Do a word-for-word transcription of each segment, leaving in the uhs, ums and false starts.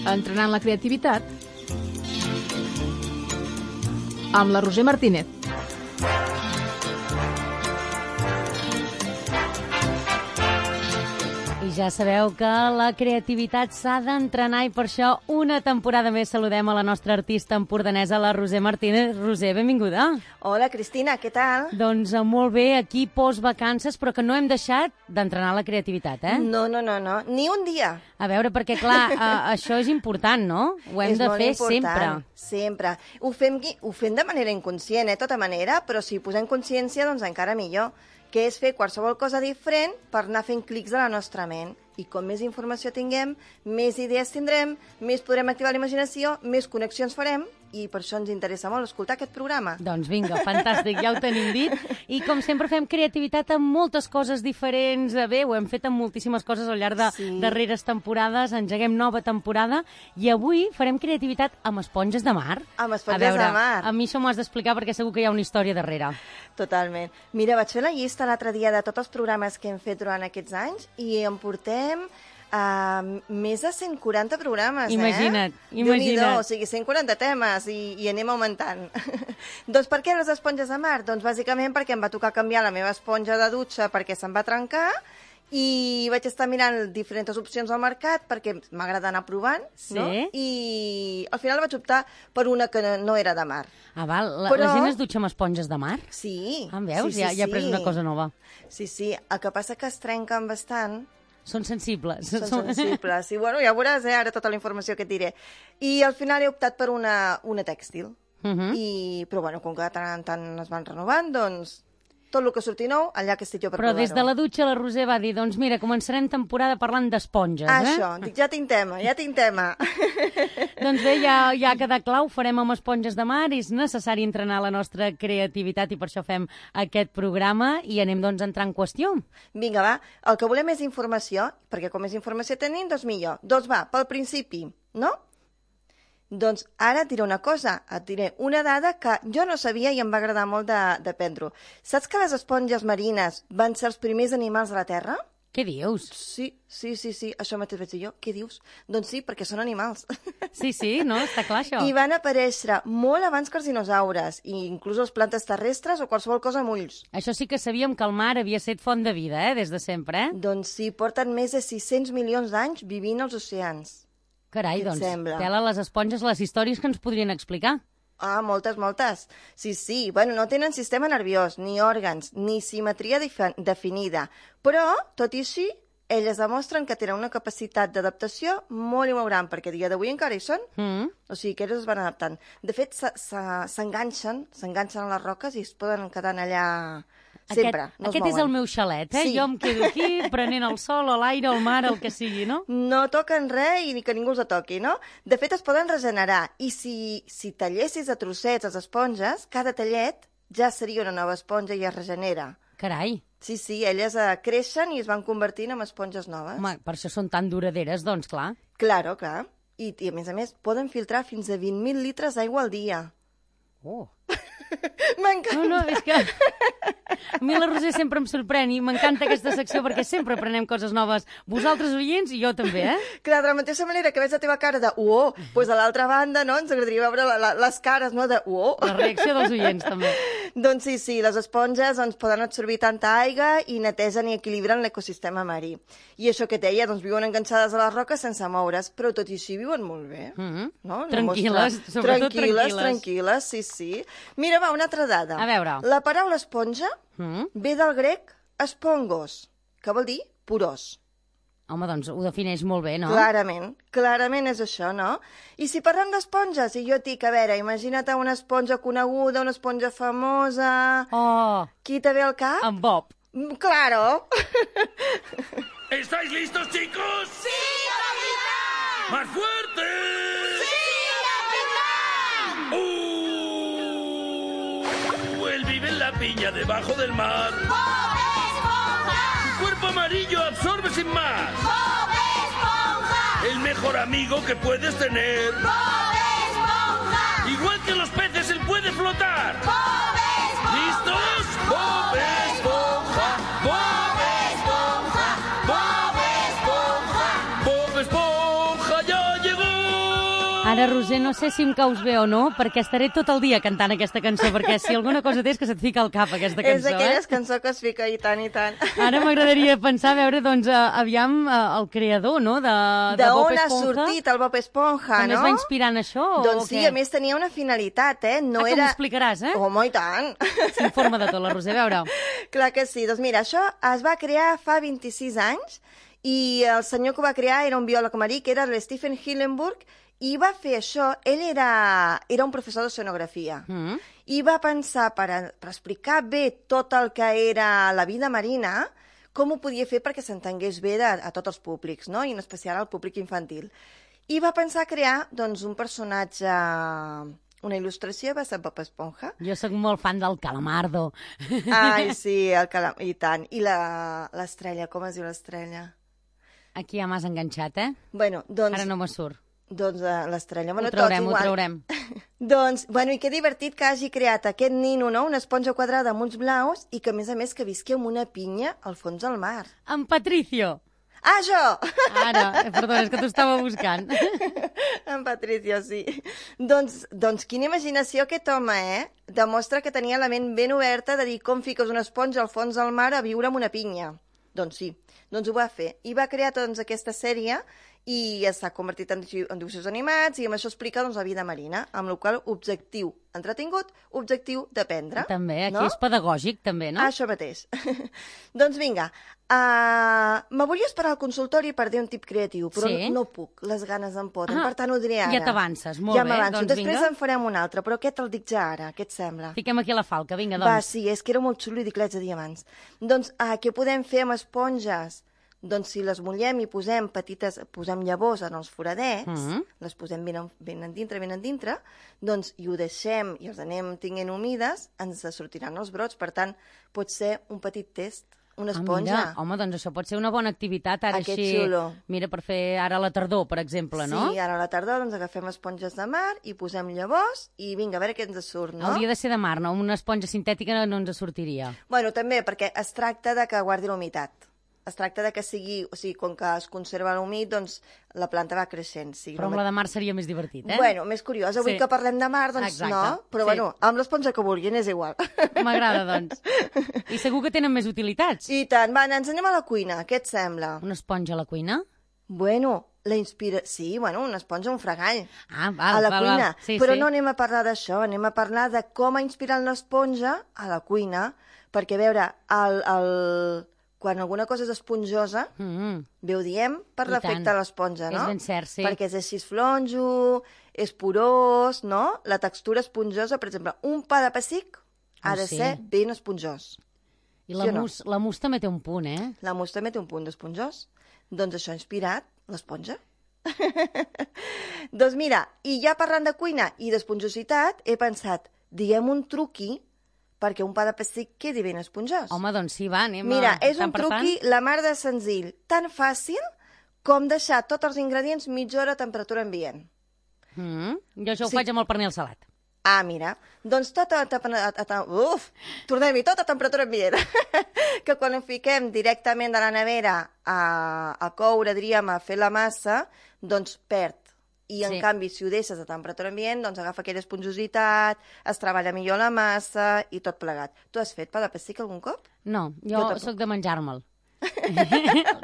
Entrenant la creativitat amb la Roser Martínez. I ja sabeu que la creativitat s'ha d'entrenar i per això una temporada més saludem a la nostra artista empordanesa, la Roser Martínez. Roser, benvinguda. Hola, Cristina, què tal? Doncs molt bé, aquí post-vacances, però que no hem deixat d'entrenar la creativitat, eh? No, no, no, no, ni un dia. A veure, perquè clar, a, això és important, no? Ho hem és de molt fer important, sempre. Sempre. Ho fem, ho fem de manera inconscient, eh, tota manera, però si posem consciència, doncs encara millor, que és fer qualsevol cosa diferent per anar fent clics de la nostra ment. I com més informació tinguem, més idees tindrem, més podrem activar la imaginació, més connexions farem, i per això ens interessa molt escoltar aquest programa. Doncs vinga, fantàstic, ja ho tenim dit. I com sempre fem creativitat amb moltes coses diferents. Bé, ho hem fet amb moltíssimes coses al llarg de sí. darreres temporades, engeguem nova temporada, i avui farem creativitat amb esponges de mar. Amb esponges a veure, de mar. A mi això m'ho has d'explicar perquè segur que hi ha una història darrere. Totalment. Mira, vaig fer la llista l'altre dia de tots els programes que hem fet durant aquests anys i em portem uh, més de cent quaranta programes, imagina't, eh? Imagina't, imagina't. O sigui, cent quaranta temes i, i anem augmentant. Doncs per què les esponges de mar? Doncs bàsicament perquè em va tocar canviar la meva esponja de dutxa perquè se'm va trencar i vaig estar mirant diferents opcions al mercat perquè m'agrada anar provant, sí? no? I al final vaig optar per una que no era de mar. Ah, val. La, Però... la gent es dutxa amb esponges de mar? Sí. Ah, veus? Sí, sí, ja, ja he pres sí. una cosa nova. Sí, sí. El que passa que es trenquen bastant. Són sensibles. Són sensibles. I bueno, ja veuràs, eh, ara tota la informació que et diré. I al final he optat per una, una tèxtil. Uh -huh. I, però bueno, com que tant en tant es van renovant, doncs tot el que surti nou, allà que estic jo per Però provar-ho. des de la dutxa la Roser va dir, doncs mira, començarem temporada parlant d'esponges, ah, eh? Això, dic, ja tinc tema, ja tinc tema. Doncs bé, ja, ja ha quedat clar, ho farem amb esponges de mar, és necessari entrenar la nostra creativitat i per això fem aquest programa i anem doncs a entrar en qüestió. Vinga, va, el que volem és informació, perquè com més informació tenim, doncs millor. Doncs va, pel principi, no? Doncs ara et diré una cosa, et diré una dada que jo no sabia i em va agradar molt d'aprendre-ho. Saps que les esponges marines van ser els primers animals de la Terra? Què dius? Sí, sí, sí, sí, això mateix vaig dir jo. Què dius? Doncs sí, perquè són animals. Sí, sí, no? Està clar, això. I van aparèixer molt abans que els dinosaures, i inclús les plantes terrestres o qualsevol cosa amb ulls. Això sí que sabíem que el mar havia estat font de vida, eh?, des de sempre, eh? Doncs sí, porten més de sis-cents milions d'anys vivint als oceans. Carai, doncs, tela les esponges, les històries que ens podrien explicar. Ah, moltes, moltes. Sí, sí. Bueno, no tenen sistema nerviós, ni òrgans, ni simetria definida. Però, tot i així, elles demostren que tenen una capacitat d'adaptació molt i molt gran, perquè a dia d'avui encara hi són. Mm. O sigui, que elles es van adaptant. De fet, s'enganxen, s'enganxen a les roques i es poden quedar allà... Sempre, aquest, no aquest és el meu xalet, eh? Sí. Jo em quedo aquí prenent el sol o l'aire, el mar, el que sigui, no? No toquen res i ni que ningú els toqui, no? De fet, es poden regenerar. I si, si tallessis a trossets les esponges, cada tallet ja seria una nova esponja i es regenera. Carai. Sí, sí, elles eh, creixen i es van convertint en esponges noves. Home, per això són tan duraderes, doncs, clar. Claro, clar. I, i a més a més, poden filtrar fins a vint mil litres d'aigua al dia. Oh. M'encanta. No, no, és que a mi la Roser sempre em sorprèn i m'encanta aquesta secció perquè sempre aprenem coses noves. Vosaltres oients i jo també, eh? Clar, de la mateixa manera que veig la teva cara de uó, doncs a l'altra banda, no?, ens agradaria veure la, la, les cares, no?, de uó. La reacció dels oients, també. Doncs sí, sí, les esponges doncs, poden absorbir tanta aigua i netegen i equilibren l'ecosistema marí. I això que et deia, doncs viuen enganxades a les roques sense moure's, però tot i així viuen molt bé. Mm-hmm. No? Tranquil·les, mostra... sobretot tranquil·les. tranquil·les. Tranquil·les, sí, sí. Mira, va, una altra dada. A veure. La paraula esponja mm. ve del grec espongos, que vol dir porós. Home, doncs ho defineix molt bé, no? Clarament, clarament és això, no? I si parlem d'esponges, i jo et dic, a veure, imagina't una esponja coneguda, una esponja famosa... Oh! Qui te ve al cap? En Bob. ¡Claro! ¿Estáis listos, chicos? ¡Sí, capitán! ¡Más fuerte! ¡Sí, capitán! ¡Uh! Él vive en la piña debajo del mar. ¡Bob Esponja! Su cuerpo amarillo absorbe sin más. ¡Bob Esponja! El mejor amigo que puedes tener. ¡Bob Esponja! Igual que los peces, él puede flotar. ¡Bob Esponja! ¿Listos? ¡Bob Esponja! ¡Bob Esponja! ¡Bob Esponja! ¡Bob Esponja ya llegó! Ara, Roser, no sé si em caus bé o no, perquè estaré tot el dia cantant aquesta cançó, perquè si alguna cosa té és que se't fica al cap aquesta cançó, És d'aquelles eh? cançons que es fica i tant i tant. Ara m'agradaria pensar, a veure, doncs, uh, aviam uh, el creador, no?, de, de Bob D'on ha Esponja. sortit el Bob Esponja, També no? es va inspirar en això, Doncs o sí, què? a més tenia una finalitat, eh? No ah, que era... m'ho explicaràs, eh? Home, i tant! S'informa de tot, la Roser, a veure. Clar que sí. Doncs mira, això es va crear fa vint-i-sis anys i el senyor que ho va crear era un biòleg marí, que era l'Stephen Hillenburg, i va fer això. Ell era, era un professor d'oceanografia. Mm. I va pensar, per, a, per explicar bé tot el que era la vida marina, com ho podia fer perquè s'entengués bé de, a tots els públics, no? I en especial al públic infantil. I va pensar crear doncs, un personatge, una il·lustració, va ser Bob Esponja. Jo sóc molt fan del Calamardo. Ai, sí, el calam... i tant. I la- l'estrella, com es diu l'estrella? Aquí ja m'has enganxat, eh? Bueno, doncs... Ara no me surt. Doncs uh, l'estrella. Bueno, Ho traurem, tots ho igual. traurem. Doncs, bueno, i que divertit que hagi creat aquest nino, no?, una esponja quadrada amb uns blaus i que, a més a més, que visqui amb una pinya al fons del mar. En Patricio. Ah, jo! Ara, eh, perdona, és que t'ho estava buscant. En Patricio, sí. Doncs, doncs quina imaginació aquest home, eh? Demostra que tenia la ment ben oberta de dir com fiques una esponja al fons del mar a viure amb una pinya. Doncs sí, doncs ho va fer. I va crear doncs, aquesta sèrie i s'ha convertit en, dibu- en dibuixos animats i amb això explica doncs, la vida marina, amb la qual objectiu entretingut, objectiu d'aprendre. També, aquí no? és pedagògic, també, no? Ah, això mateix. Doncs vinga, uh, me volia esperar al consultori per dir un tip creatiu, però Sí? no puc, les ganes em poten, Ah, per tant ho diré ara. ja t'avances, molt ja bé, m'avanço. doncs Després vinga. en farem un altre, però aquest el dic ja ara, què et sembla? Fiquem aquí la falca, vinga, Va, doncs. sí, és que era molt xulo i dic l'haig de dir abans. Doncs uh, què podem fer amb esponges? Doncs si les mullem i posem petites, posem llavors en els foradets, Mhm. les posem ben, en, ben endintre, ben endintre, doncs i ho deixem i els anem tinguent humides, ens sortiran els brots. Per tant, pot ser un petit test, una Ah, esponja. mira, home, doncs això pot ser una bona activitat ara Ah, que així. xulo. Mira, per fer ara la tardor, per exemple, no? Sí, ara a la tardor doncs, agafem esponges de mar i posem llavors i vinga, a veure què ens surt, no? Hauria de ser de mar, no? Una esponja sintètica no ens sortiria. Bueno, també, perquè es tracta de que guardi la humitat. Es tracta de que sigui, o sigui, com que es conserva l'humit, doncs la planta va creixent. Sí, Però amb la de mar seria més divertit, eh? Bueno, més curiós. Avui Sí. que parlem de mar, doncs Exacte, no. Però sí. bueno, amb l'esponja que vulguin és igual. M'agrada, doncs. I segur que tenen més utilitats. I tant. Va, ens anem a la cuina. Què et sembla? Una esponja a la cuina? Bueno, la inspira... Sí, bueno, una esponja, un fregall. Ah, val, a la val, cuina. val. Sí, Però sí. no anem a parlar d'això, anem a parlar de com ha inspirat l'esponja a la cuina, perquè, a veure, el, el... quan alguna cosa és esponjosa, Mm, bé ho diem per I l'efecte tant. de l'esponja, no? És ben cert, sí. Perquè és així flonjo, és porós, no? La textura esponjosa, per exemple, un pa de pessic ha Oh, de sí. ser ben esponjós. I la, Sí o no? mus, la mus també té un punt, eh? La mousse també té un punt d'esponjós. Doncs això ha inspirat l'esponja. Doncs mira, i ja parlant de cuina i d'esponjositat, he pensat, diguem un truqui perquè un pa de pessic quedi ben esponjós. Home, doncs sí, va, anem Mira, a... és tant un per truqui la mar de senzill, tan fàcil com deixar tots els ingredients mitja hora a temperatura ambient. Tant. Mm, jo això ho Sí. faig amb el pernil salat. Ah, mira, doncs tot a, a, a, a, uf, tornem-hi, tot a temperatura ambient. Que quan ho fiquem directament de la nevera a, a coure, diríem, a fer la massa, doncs perd. I, en Sí. canvi, si ho deixes a temperatura ambient, doncs agafa aquella esponjositat, es treballa millor la massa i tot plegat. Tu has fet pa de pessic algun cop? No, Jo jo, tampoc. sóc de menjar-me'l.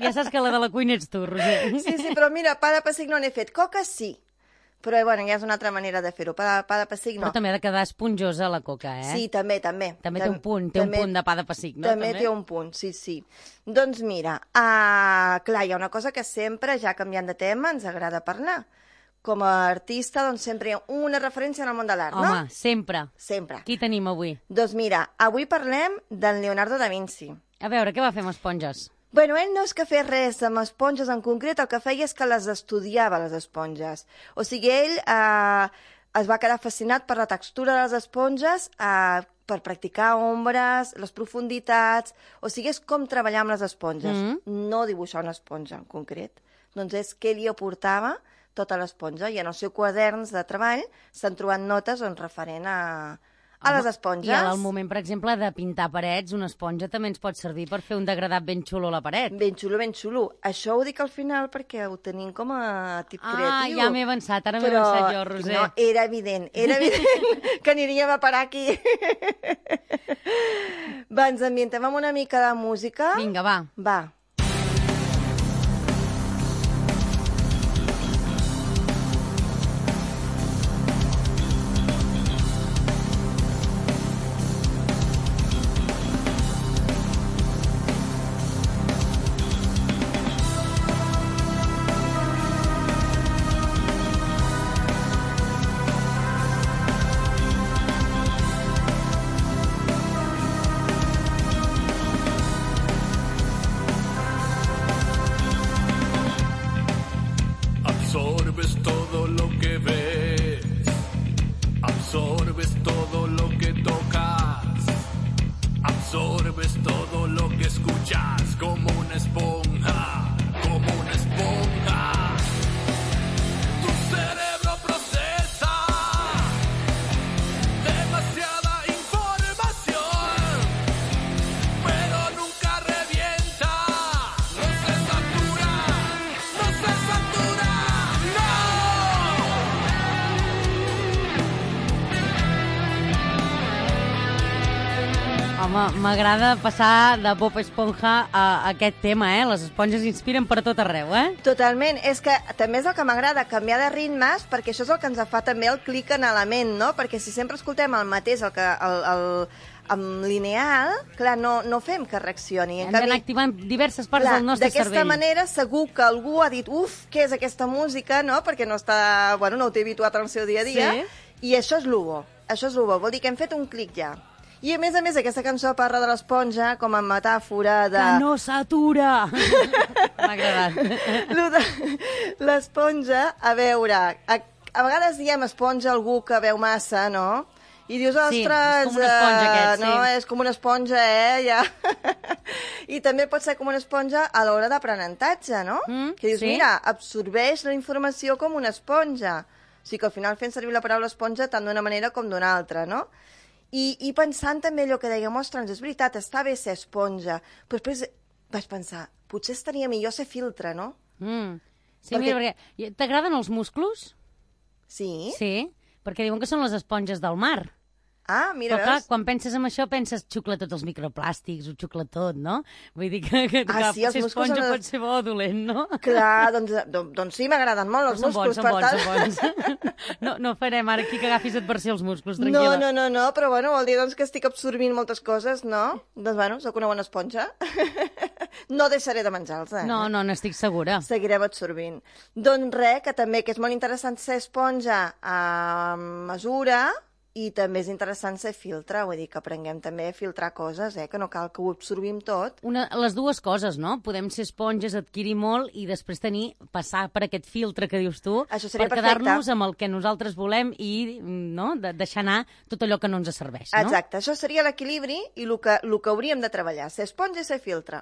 Ja saps que la de la cuina ets tu, Roser. Sí, sí, però mira, pa de pessic no n'he fet. Coca sí. Però, bueno, ja és una altra manera de fer-ho. Pa, pa de pessic no. Però també ha de quedar esponjosa la coca, eh? Sí, també, també. També té un punt, té un punt de pa de pessic, no? També, té un punt, sí, sí. Doncs mira, uh, clar, hi ha una cosa que sempre, ja canviant de tema, ens agrada parlar. Com a artista, doncs sempre hi ha una referència en el món de l'art, no? Home, sempre. Sempre. Qui tenim avui? Doncs mira, avui parlem del Leonardo da Vinci. A veure, què va fer amb esponges? Bueno, ell no és que fes res amb esponges en concret, el que feia és que les estudiava, les esponges. O sigui, ell eh, es va quedar fascinat per la textura de les esponges, eh, per practicar ombres, les profunditats... O sigui, és com treballar amb les esponges, Mm. no dibuixar una esponja en concret. Doncs és què li aportava tota l'esponja, i en els seus quaderns de treball s'han trobat notes doncs, referent a, a les esponges. I al moment, per exemple, de pintar parets, una esponja també ens pot servir per fer un degradat ben xulo a la paret. Ben xulo, ben xulo. Això ho dic al final perquè ho tenim com a tip Ah, creatiu. ja m'he avançat, ara m'he Però, avançat jo, Roser. No, era evident, era evident que aniríem a parar aquí. Va, ens ambientem amb una mica de música. Vinga, va. Va. Absorbes todo lo que ves, absorbes todo lo que tocas, absorbes todo lo que escuchas como una esponja, como una esponja. Tu cerebro procesa demasiada información, pero nunca revienta, no se satura, no se satura. Home, m'agrada passar de Bob Esponja a aquest tema, eh? Les esponges inspiren per tot arreu, eh? Totalment. És que també és el que m'agrada, canviar de ritmes, perquè això és el que ens fa també el clic en la ment, no? Perquè si sempre escoltem el mateix, el que... El, el, amb lineal, clar, no, no fem que reaccioni. Hem d'anar activant diverses parts clar, del nostre cervell. D'aquesta manera, segur que algú ha dit uf, què és aquesta música, no? Perquè no està, bueno, no ho té habituat en el seu dia a dia. Sí. I això és l'ubo. Això és l'ubo. Vol dir que hem fet un clic ja. I, a més a més, aquesta cançó parla de l'esponja com a metàfora de... Que no s'atura! M'ha agradat. Lo de l'esponja, a veure, a, a vegades diem esponja a algú que veu massa, no? I dius, Sí, ostres, és com una esponja eh, aquest, sí. no, és com una esponja, eh, ja. I també pot ser com una esponja a l'hora d'aprenentatge, no? Mm, que dius, sí. mira, absorbeix la informació com una esponja. O sigui que al final fem servir la paraula esponja tant d'una manera com d'una altra, no? I, I pensant també allò que dèiem, ostres, és veritat, està bé ser esponja, però després vaig pensar, potser estaria millor ser filtre, no? Mm. Sí, Perquè- mira, perquè... T'agraden els musclos? Sí? Sí, perquè diuen que són les esponges del mar. Ah, mira, Però clar, veus? quan penses en això, penses xucla tots els microplàstics, ho xucla tot, no? Vull dir que, que, Ah, que sí, els potser musclos esponja són- pot ser bo o dolent, no? Clar, doncs, doncs, doncs sí, m'agraden molt els Però són bons, músculs, són per bons, tant. són bons. No, no farem ara aquí que agafis adversió als músculs, No, tranquil·la. no, no, no, però bueno, vol dir doncs, que estic absorbint moltes coses, no? Doncs bueno, sóc una bona esponja. No deixaré de menjar-los, eh? No, no, n'estic segura. Seguirem absorbint. Doncs res, que també que és molt interessant ser esponja a mesura i també és interessant ser filtre, vull dir que aprenguem també a filtrar coses, eh? Que no cal que ho absorbim tot. Una, les dues coses, no? Podem ser esponges, adquirir molt i després tenir, passar per aquest filtre que dius tu, Això seria per perfecte. quedar-nos amb el que nosaltres volem i no? de, deixar anar tot allò que no ens serveix, no? Exacte, això seria l'equilibri i el que, el que hauríem de treballar, ser esponja i ser filtre.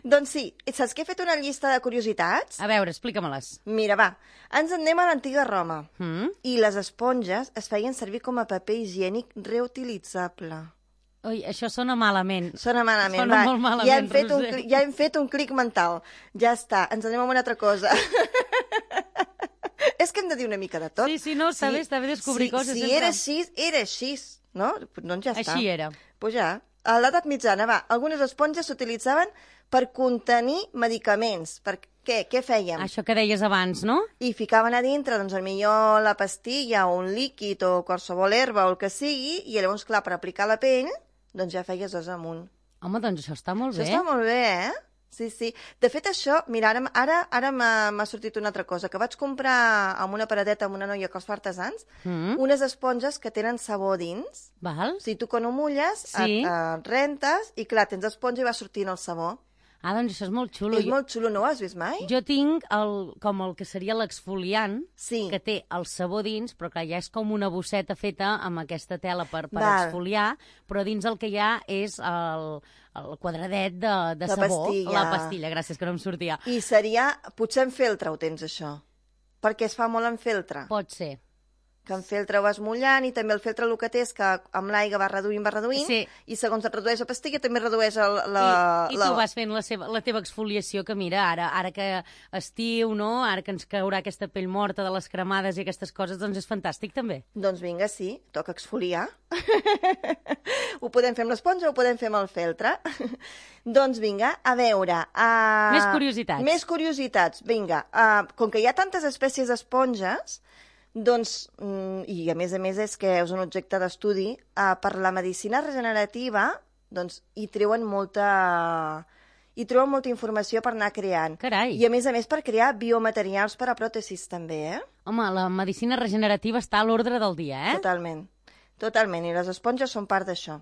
Doncs sí, i saps que he fet una llista de curiositats? A veure, explica-me-les. Mira, va, ens en anem a l'antiga Roma. Mm? I les esponges es feien servir com a paper higiènic reutilitzable. Ui, això sona malament. Sona malament, Sona va. molt malament, ja, hem fet un, Roser. cli- ja hem fet un clic mental. Ja està, ens anem a una altra cosa. És que hem de dir una mica de tot. Sí, sí, no, està bé, està bé descobrir sí, coses Si sempre. era així, era així, no? Doncs ja està. Així era. Pues ja. A l'edat mitjana, va, algunes esponges s'utilitzaven per contenir medicaments. Per què? Què fèiem? Això que deies abans, no? I ficaven a dintre, doncs, millor la pastilla o un líquid o qualsevol herba o el que sigui, i llavors, clar, per aplicar a la pell, doncs ja feies dos amunt. Home, doncs això està molt Això bé. està molt bé, eh? Sí, sí. De fet, això, mira, ara, ara, ara m'ha m'ha sortit una altra cosa, que vaig comprar amb una paradeta amb una noia que els fa artesans, Mm. unes esponges que tenen sabó dins. Val? O sigui, tu quan ho mulles, Sí. et, et rentes, i clar, tens esponja i va sortint el sabó. Ah, doncs això és molt xulo. És molt xulo, no ho has vist mai? Jo tinc el, com el que seria l'exfoliant, Sí. que té el sabó dins, però clar, ja és com una bosseta feta amb aquesta tela per, per Val. exfoliar, però dins el que hi ha és el, el quadradet de, de La sabó. pastilla. La pastilla, gràcies, que no em sortia. I seria, potser en feltre ho tens, això, perquè es fa molt en feltre. Pot ser. que en feltre ho vas mullant, i també el feltre el que té és que amb l'aigua va reduint, va reduint, Sí. i segons et redueix la pastilla també redueix el, la... I, i la... tu vas fent la, seva, la teva exfoliació, que mira, ara ara que estiu, no? Ara que ens caurà aquesta pell morta de les cremades i aquestes coses, doncs és fantàstic també. Doncs vinga, sí, toca exfoliar. Ho podem fer amb l'esponja o ho podem fer amb el feltre. Doncs vinga, a veure... Uh... Més curiositats. Més curiositats, vinga. Uh, com que hi ha tantes espècies d'esponges, doncs, mm, i a més a més és que és un objecte d'estudi, uh, per la medicina regenerativa, doncs hi treuen molta... hi treuen molta informació per anar creant. Carai. I a més a més per crear biomaterials per a pròtesis també, eh? Home, la medicina regenerativa està a l'ordre del dia, eh? Totalment, totalment, i les esponges són part d'això.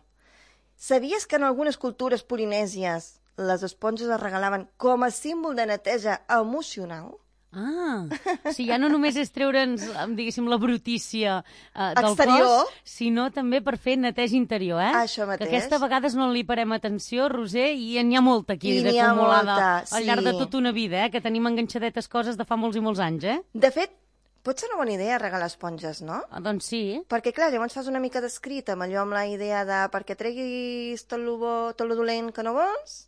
Sabies que en algunes cultures polinèsies les esponges es regalaven com a símbol de neteja emocional? Ah, o sigui, ja no només és treure'ns, diguéssim, la brutícia eh, del Exterior. cos, sinó també per fer neteja interior, eh? Això mateix. Que aquesta vegades no li parem atenció, Roser, i n'hi ha molta aquí I n'hi ha d'acumulada molta, al llarg de sí. tota una vida, eh? Que tenim enganxadetes coses de fa molts i molts anys, eh? De fet, pot ser una bona idea regalar esponges, no? Ah, doncs sí. Perquè, clar, llavors fas una mica d'escrit amb allò, amb la idea de perquè treguis tot lo bo, tot lo dolent que no vols,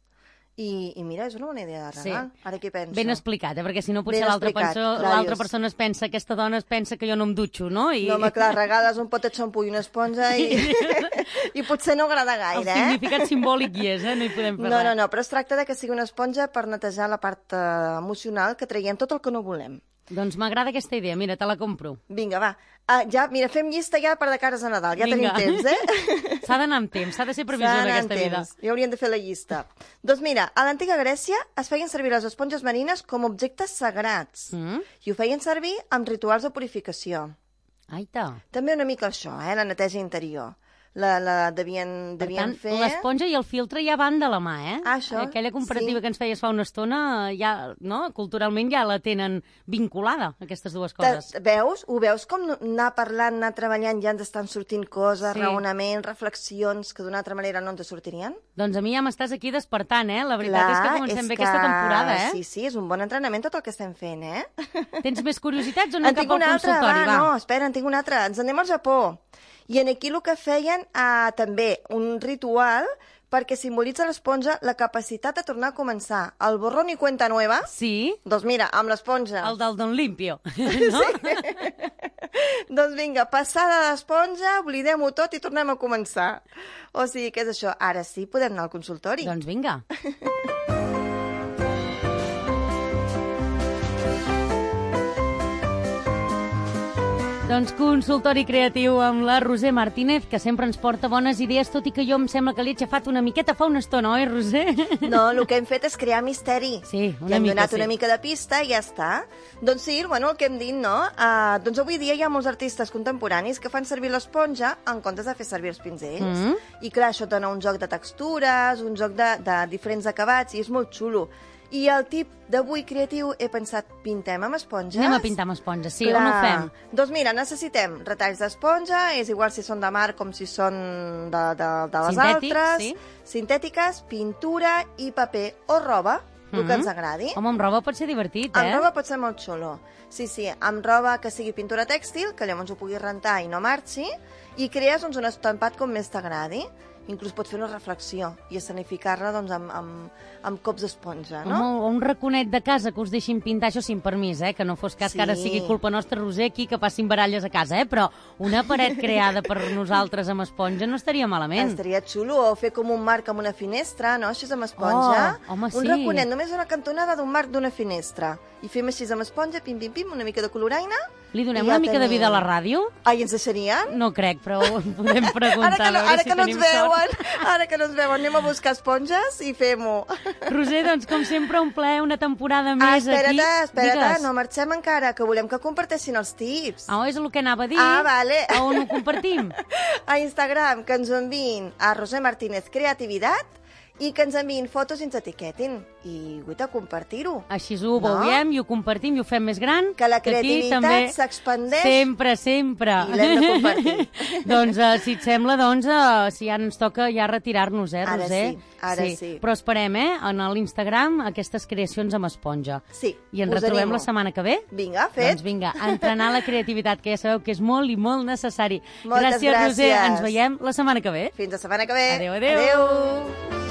i, i mira, és una bona idea de regal. Sí. Ara què penso? Ben explicat, eh? Perquè si no potser Ben l'altra explicat, penso- clar, l'altra dius. persona es pensa, aquesta dona es pensa que jo no em dutxo, no? I... No, home, clar, regales un pot de xampú i una esponja i, i potser no agrada El gaire, eh? significat simbòlic hi és, eh? No hi podem fer No, res. no, no, però es tracta de que sigui una esponja per netejar la part eh, emocional, que traiem tot el que no volem. Doncs m'agrada aquesta idea, mira, te la compro. Vinga, va. Uh, ja, mira, fem llista ja per de cares a Nadal. Ja Vinga. tenim temps, eh? S'ha d'anar amb temps, s'ha de ser previsió S'ha en d'anar aquesta amb vida. temps. Ja hauríem de fer la llista. Doncs mira, a l'antiga Grècia es feien servir les esponges marines com a objectes sagrats. Mm? I ho feien servir amb rituals de purificació. Aita. També una mica això, eh? La neteja interior. La, la devien, Per devien tant, fer... l'esponja i el filtre ja van de la mà, eh? Ah, això, Aquella comparativa sí. que ens feies fa una estona, ja, no? Culturalment ja la tenen vinculada, aquestes dues Te, coses. veus? Ho veus com anar parlant, anar treballant, ja ens estan sortint coses, Sí. raonaments, reflexions que d'una altra manera no ens sortirien? Doncs a mi ja m'estàs aquí despertant, eh? La veritat és que comencem bé aquesta temporada, eh? Sí, sí, és un bon entrenament tot el que estem fent, eh? Tens més curiositats o no En cap tinc al una altra, consultori? va, no, espera, en tinc una altra. Ens anem al Japó. I en aquí el que feien eh, també un ritual perquè simbolitza l'esponja la capacitat de tornar a començar. El borrón i cuenta nueva, Sí, doncs mira, amb l'esponja. el del Don Limpio, no? Doncs vinga, passada d'esponja, oblidem-ho tot i tornem a començar. O sigui, què és això? Ara sí, podem anar al consultori. Doncs vinga. Doncs consultori creatiu amb la Roser Martínez, que sempre ens porta bones idees, tot i que jo em sembla que l'he aixafat una miqueta fa una estona, oi, Roser? No, el que hem fet és crear misteri. Sí, una I hem mica, donat sí. una mica de pista i ja està. Doncs sí, bueno, el que hem dit, no? Uh, doncs avui dia hi ha molts artistes contemporanis que fan servir l'esponja en comptes de fer servir els pinzells. Mm. I clar, això dona un joc de textures, un joc de, de diferents acabats, i és molt xulo. I el tip d'avui creatiu he pensat, pintem amb esponges? Anem a pintar amb esponja, sí, on ho fem? Doncs mira, necessitem retalls d'esponja, és igual si són de mar com si són de, de, de les Sintètics, altres, sí. sintètiques, pintura i paper o roba, el Mhm. que ens agradi. Home, amb roba pot ser divertit, Amb eh? roba pot ser molt xulo. Sí, sí, amb roba que sigui pintura tèxtil, que llavors ho puguis rentar i no marxi, i crees doncs, un estampat com més t'agradi. Inclús pots fer una reflexió i escenificar-la doncs, amb, amb, amb cops d'esponja, no? Home, o un raconet de casa que us deixin pintar, això sin permís, eh? Que no fos cas Sí. que ara sigui culpa nostra, Roser, aquí que passin baralles a casa, eh? Però una paret creada per nosaltres amb esponja no estaria malament. Estaria xulo, o fer com un marc amb una finestra, no? Així amb esponja. Oh, home, un sí. raconet, només una cantonada d'un marc d'una finestra. I fem així amb esponja, pim, pim, pim, una mica de coloraina. Li donem i ja una mica de tenim. vida a la ràdio? Ai, ens deixarien? No crec, però ho podem preguntar. Ara que no, a veure ara si que no ens tenim sort. veuen, ara que no ens veuen, anem a buscar esponges i fem-ho. Roser, doncs, com sempre, un plaer, una temporada Ah, més espera't, aquí. espera't, Digues. no marxem encara, que volem que comparteixin els tips. Ah, és el que anava a dir. Ah, vale. A on ho compartim? A Instagram, que ens ho enviïn a Roser Martínez Creativitat, i que ens enviïn fotos i ens etiquetin. I, guita, compartir-ho. Així ho No? veiem i ho compartim i ho fem més gran. Que la aquí creativitat també s'expandeix. Sempre, sempre. I l'hem de compartir. Doncs, uh, si et sembla, doncs, uh, si ja ens toca ja retirar-nos, eh, Ara Roser? sí, ara sí. Però esperem, eh, en l'Instagram, aquestes creacions amb esponja. Sí, I ens us retrobem animo. la setmana que ve? Vinga, fet. Doncs vinga, a entrenar la creativitat, que ja sabeu que és molt i molt necessari. Moltes gràcies, Roser. gràcies. Ens veiem la setmana que ve. Fins la setmana que ve. Adéu, adéu. Adéu.